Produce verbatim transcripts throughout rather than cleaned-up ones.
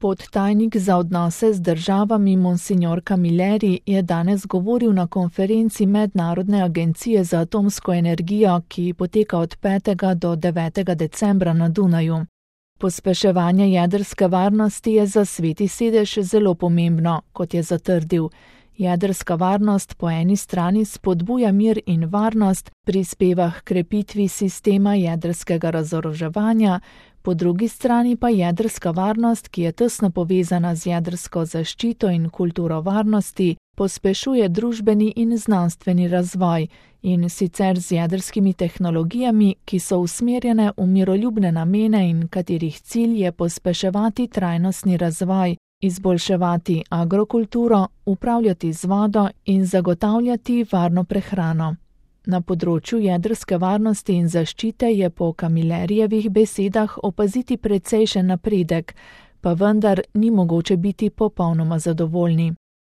Podtajnik za odnose z državami Monsignor Camilleri je danes govoril na konferenci Mednarodne agencije za atomsko energijo, ki poteka od petega do devetega decembra na Dunaju. Pospeševanje jedrske varnosti je za Sveti sedež zelo pomembno, kot je zatrdil. Jedrska varnost po eni strani spodbuja mir in varnost, prispeva h krepitvi sistema jedrskega razoroževanja, po drugi strani pa jedrska varnost, ki je tesno povezana z jedrsko zaščito in kulturo varnosti, pospešuje družbeni in znanstveni razvoj, in sicer z jedrskimi tehnologijami, ki so usmerjene v miroljubne namene in katerih cilj je pospeševati trajnostni razvoj, izboljševati agrokulturo, upravljati z vodo in zagotavljati varno prehrano. Na področju jedrske varnosti in zaščite je po Camillerijevih besedah opaziti precejšen napredek, pa vendar ni mogoče biti popolnoma zadovoljni.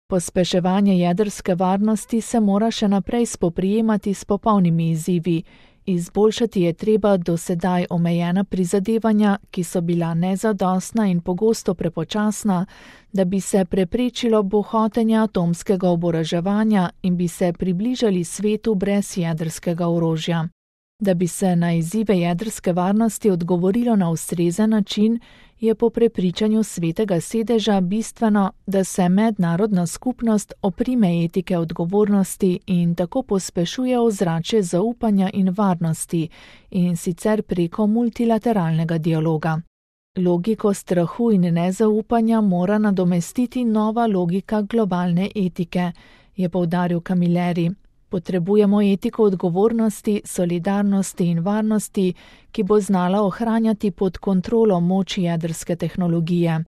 Pospeševanje jedrske varnosti se mora še naprej spoprijemati s popolnimi izzivi. Izboljšati je treba do sedaj omejena prizadevanja, ki so bila nezadostna in pogosto prepočasna, da bi se preprečilo bohotenje atomskega oboroževanja in bi se približali svetu brez jedrskega orožja. Da bi se na izzive jedrske varnosti odgovorilo na ustrezen način, je po prepričanju Svetega sedeža bistveno, da se mednarodna skupnost oprime etike odgovornosti in tako pospešuje ozračje zaupanja in varnosti, in sicer preko multilateralnega dialoga. Logiko strahu in nezaupanja mora nadomestiti nova logika globalne etike, je poudaril Camilleri. Potrebujemo etiko odgovornosti, solidarnosti in varnosti, ki bo znala ohranjati pod kontrolo moč jedrske tehnologije.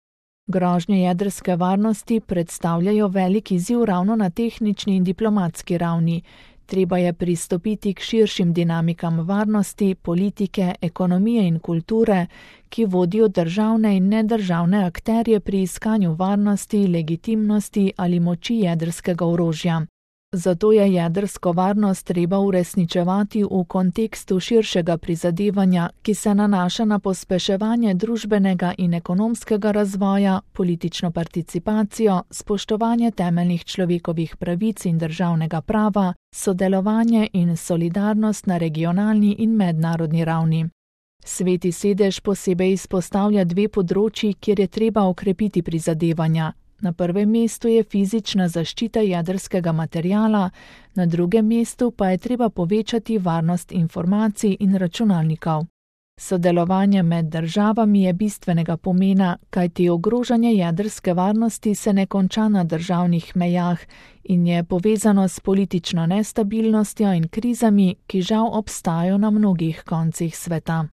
Grožnje jedrske varnosti predstavljajo velik izziv ravno na tehnični in diplomatski ravni. Treba je pristopiti k širšim dinamikam varnosti, politike, ekonomije in kulture, ki vodijo državne in nedržavne akterje pri iskanju varnosti, legitimnosti ali moči jedrskega orožja. Zato je jedrsko varnost treba uresničevati v kontekstu širšega prizadevanja, ki se nanaša na pospeševanje družbenega in ekonomskega razvoja, politično participacijo, spoštovanje temeljnih človekovih pravic in državnega prava, sodelovanje in solidarnost na regionalni in mednarodni ravni. Sveti sedež posebej izpostavlja dve področji, kjer je treba okrepiti prizadevanja. Na prvem mestu je fizična zaščita jedrskega materiala, na drugem mestu pa je treba povečati varnost informacij in računalnikov. Sodelovanje med državami je bistvenega pomena, kajti ogrožanje jedrske varnosti se ne konča na državnih mejah in je povezano s politično nestabilnostjo in krizami, ki žal obstajajo na mnogih koncih sveta.